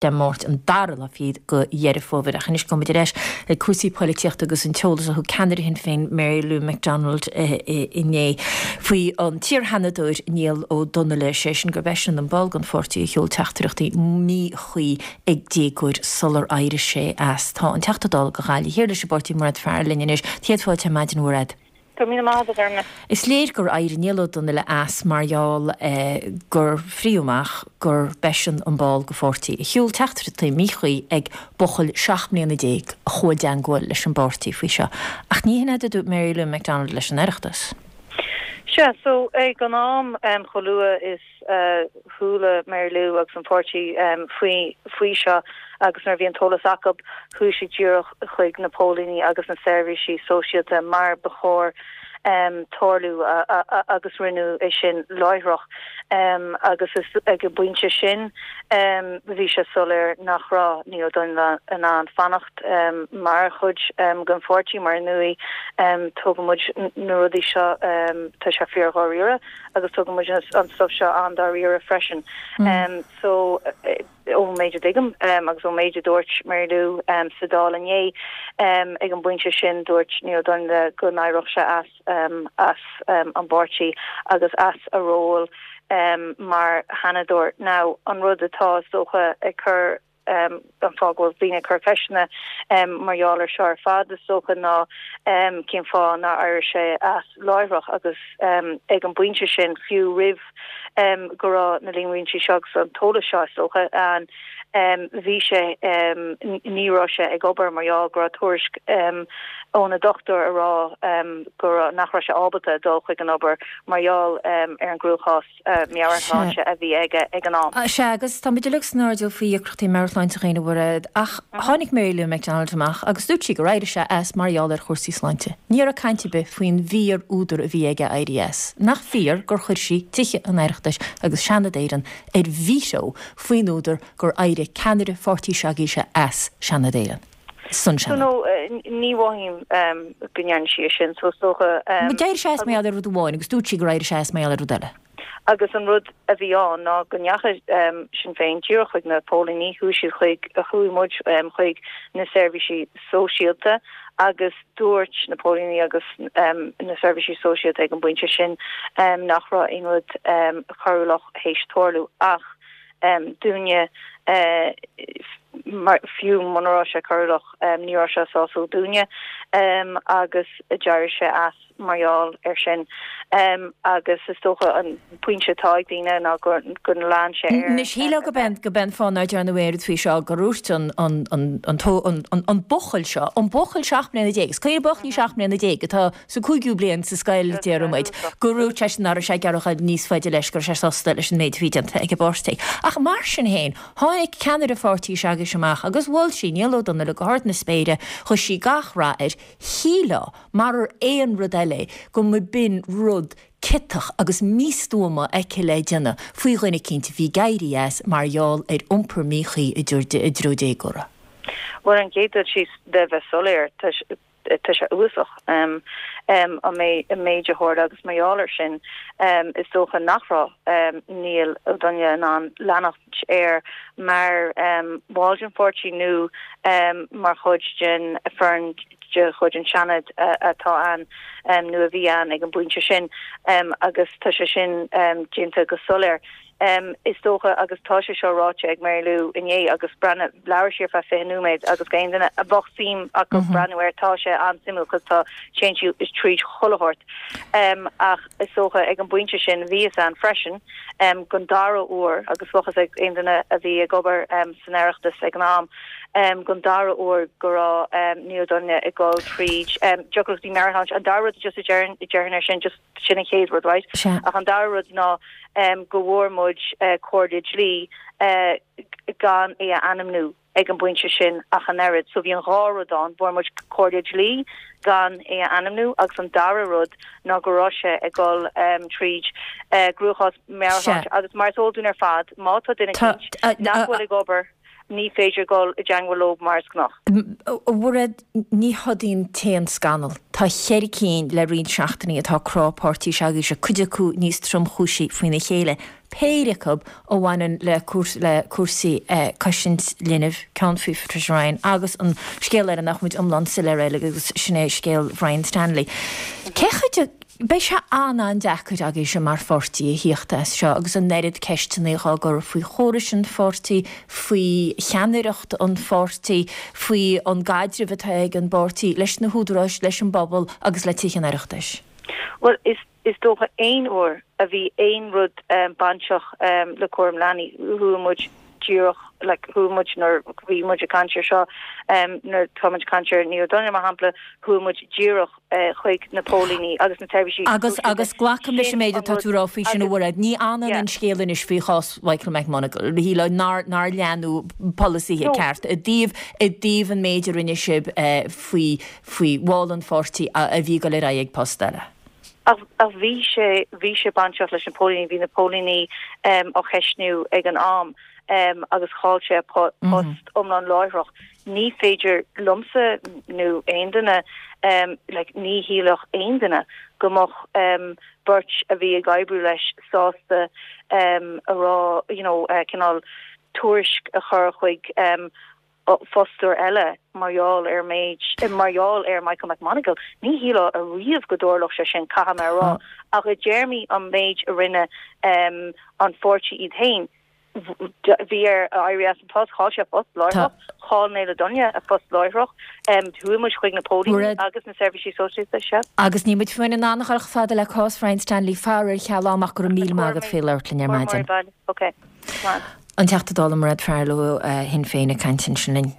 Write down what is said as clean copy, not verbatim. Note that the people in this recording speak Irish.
Dé Máirt an dara lá fichead de Dheireadh Fómhair. Ach anois gabhfaidh muid ar ais ag cúrsaí poilitíochta agus an t-eolas a thug ceannaire Shinn Féin Mary Lou McDonald inné faoi an t-iar-Sheanadóir Niall Ó Donnaile, sé sin gurb eisean an ball den pháirtí a sheol teachtaireachtaí míchuí ag déagóir sular éirigh sé as. Tá an Teachta Dála do Ghaillimh Thiar leis an bpáirtí Mairéad Farrell linn anois. Céad fáilte ar maidin, a Mhairéad. Go raibh míle maith agat, a Ghormfhlaith. Is léir gur éirigh Niall Ó Donnaile as mar gheall gur frítheadh amach gur b'eisean an ball de pháirtí a sheol teachtaireachtaí míchuí ag buachaill 17 mbliana a chuaigh i dteangmháil leis an bpáirtí faoi seo. Ach ní hin é a dúirt Mary Lou McDonald leis an Oireachtas. Sea, so ag an am chomh luath is a chuala Mary Lou agus an páirtí faoi faoi seo agus nuair a bhí an t-eolas acu, chuaigh siad díreach chuig na póilíní agus na seirbhísí sóisialta mar ba chóir tarlú agus rinneadh é sin láithreach. Agus is ag an bpointe sin bhí sé soiléir nach raibh Niall Ó Donnaile in ann fanacht mar chuid den pháirtí mar ar ndóigh tógann muid na rudaí seo, tá sé fíor-dháiríre. agus tugann muid an stuif seo an-dáiríre freisin. So, ón méid a dtuigim agus ón méid a dúirt Mary Lou sa Dáil inné, ag an bpointe sin dúirt Niall Ó Donnaile go n-éireodh sé as as an bpáirtí agus as a ról mar Sheanadóir. Now, an rud atá, is dócha, ag cur An fáth go bhfuil daoine ag cur ceisteanna mar gheall air seo ar fad, is dócha, ná cén fáth nár éirigh sé as láithreach agus ag an bpointe sin, fiú roimh go raibh na líomhaintí seo agus an t-eolas seo, is dócha, ann, bhí sé, ní raibh sé ag obair mar gheall go raibh tuairisc óna dochtúir a rá go raibh, nach raibh sé ábalta dul chuig an obair mar gheall ar an gcruachás. meabhairshláinte a bhí aige ag an am. Sea, agus tá muid uilig san airdeall faoi dheacrachtaí meabhairshláinte dhaoine, a Mhairéad, ach tháinig Mary Lou McDonald amach agus dúirt sí gur éirigh sé as mar gheall ar chúrsaí sláinte. Ní raibh caint ar bith faoin bhfíor-údar a bhí aige éirí as. Nach fíor gur chuir sí Tithe an Oireachtais agus Seanad Éireann ar veto faoin údar gur éirigh ceannaire pháirtí s'agaibhse as Seanad Éireann? San So no, ní mhothaím go ndearna sí é sin, so is dócha. D'éirigh sé as mar gheall ar rud amháin agus dúirt sí gur éirigh sé as mar gheall ar rud eile. Agus an rud a bhí ann ná go ndeachaigh Sinn Féin díreach chuig na póilíní, chuaigh siad chuig, chuaigh muid chuig na seirbhísí sóisialta agus dúirt na póilíní agus na seirbhísí sóisialta ag an bpointe sin nach raibh aon rud coiriúlach théis tarlú ach dúinne, mar fiú muna raibh sé coiriúlach, ní raibh sé sásúil dúinne agus d'éirigh sé as mar gheall air sin. Agus is dócha an pointe atá ag daoine ná gur lean sé air. Anois, shílfeá go b'é an fáth nár dearnadh aon rud faoi seo gur dhúirt an an buachaill seo, an buachaill 17 mbliana, is cuimhin buachaillí 17 mbliana atá Sa cúigiú bliain sa scoil, déarfaidh muid, gur dhúirt seisean nach raibh sé ag iarraidh a ghoil níos faide leis, go raibh sé sásta leis an méid a bhí déanta ag an bpáirtí. Ach mar sin féin, tháinig ceannaire pháirtí s'agaibhse amach agus mhol sí Niall Ó Donnaile go hard na spéire, ghuigh sí gach rath air, shílfeá, marar aon rud eile é, go mba b'in rud ciotach agus místuama aici le déanamh faoi dhuine eicínt a bhí ag éirí as mar gheall ar iompar míchuí i dtreo déagóra. Bhuel, an chéad dul síos, le bheith soiléir, tá tá sé uafásach an méid a tharla agus mar gheall air sin is dócha nach raibh Niall Ó Donnaile in ann leanacht air mar bhall den pháirtí nó mar chuid den foireann de chuid an Seanad atá ann nó a bhí ann ag an bpointe sin agus tá sé sin déanta go soiléir. Is dócha, agus tá sé seo ráite ag Mary Lou inné agus breathnaigh, labhair sí ar feadh 20 nóiméad agus aon duine a bheadh suim acu breathnú air, tá sé an-suimiúil cos tá, téann sí tríd chuile shórt. Ach is dócha ag an bpointe sin, bhí fhios a'inn freisin gon dara huair, agus bheadh fhios ag aon duine a bhí ag obair san Oireachtas ag an am, gon dara huair go raibh Niall Ó Donnaile ag dul tríd deacrachtaí meabhairshláinte. An dara rud just a déarfainn air sin, just sin an chéad rud, right? Sea. Ach an dara rud ná go bhfuair muid comhairle dlí gan é a ainmniú ag an bpointe sin ach an oiread. So bhí an dhá rud ann, bhfuair muid comhairle dlí gan é a ainmniú agus an dara rud ná go raibh sé ag dul tríd gcruachás meabhairshláinte agus mar is eol dúinn ar fad, má tá duine eicínt nach bhfuil ag obair, ní féidir dul i dteangmháil leo mar is gnách. A Mhairéad, ní hod í an t-aon scannal. Tá cheithre cinn le roinnt seachtainí atá ag crá páirtí s'agaibhse, cuid acu níos tromchúisí faoina chéile. péire acu a bhaineann le le cúrsaí cosaint linbh, ceann faoi Patricia Ryan agus an scéal eile nach bhfuil muid iomlán soiléir air agus sin é scéal Bhrian Stanley. Cé chomh de Beidh sé an-an-deacair agaibhse mar pháirtí a thíocht as seo agus an oiread ceisteanna á gcur faoi chórais an pháirtí, faoi cheannaireacht an pháirtí, faoi an gcaidreamh atá ag an bpáirtí leis na húdaráis, leis an bpobal agus le Tithe an Oireachtais. Bhuel, is is dócha aon uair a bhí aon rud bainteach le cúram leanaí, chuaigh muid díreach, like, chuaigh muid nuair bhí muid ag caint ar seo, nuair atá muid ag caint ar Neil Dunne, mar shampla, chuaigh muid díreach chuig na póilíní agus na seirbhísí Agus, agus glacaim leis an méid atá tú a rá faoi sin a Mhairéad. Ní ionann an scéal anois faoi chás Mhichael McMonagle, shílfeá nár, nár leanadh polasaithe ceart i dtaobh, i dtaobh an méid a rinne sibh faoi, faoi bhall an pháirtí a, a bhí ag dul ar aghaidh ag post eile. Ach, ach bhí sé, bhí sé bainteach leis na póilíní, bhí na póilíní á cheistniú ag an am agus chaill sé a post iomlán láithreach. Ní féidir liomsa nó aon duine, like, ní shílfeadh aon duine go mbeadh beirt a bhí ag oibriú leis sásta a rá, you know, cineál tuairisc a chur chuig fostóir eile mar gheall ar méid, mar gheall ar Michael McMonagle. Ní shílfeá ariamh go dtarlódh sé sin, caithfidh mé a rá. Ach i dtéarmaí an méid a rinne an pháirtí iad féin, bhí air éirí as an post, chaill sé a phost láithreach, chaill Neil Dunne a phost láithreach, chuaigh muid chuig na póilíní agus na seirbhísí sóisialta, sea. Agus níl muid féin in ann a dhul chomh fada le cás Bhrian Stanley, faraor, a cheal ama ach go raibh míle maith agat faoi labhairt linn ar maidin. Ok. Slán. An Teachta Dála Mairéad Farrell ó Shinn Féin ag caint ansin linn.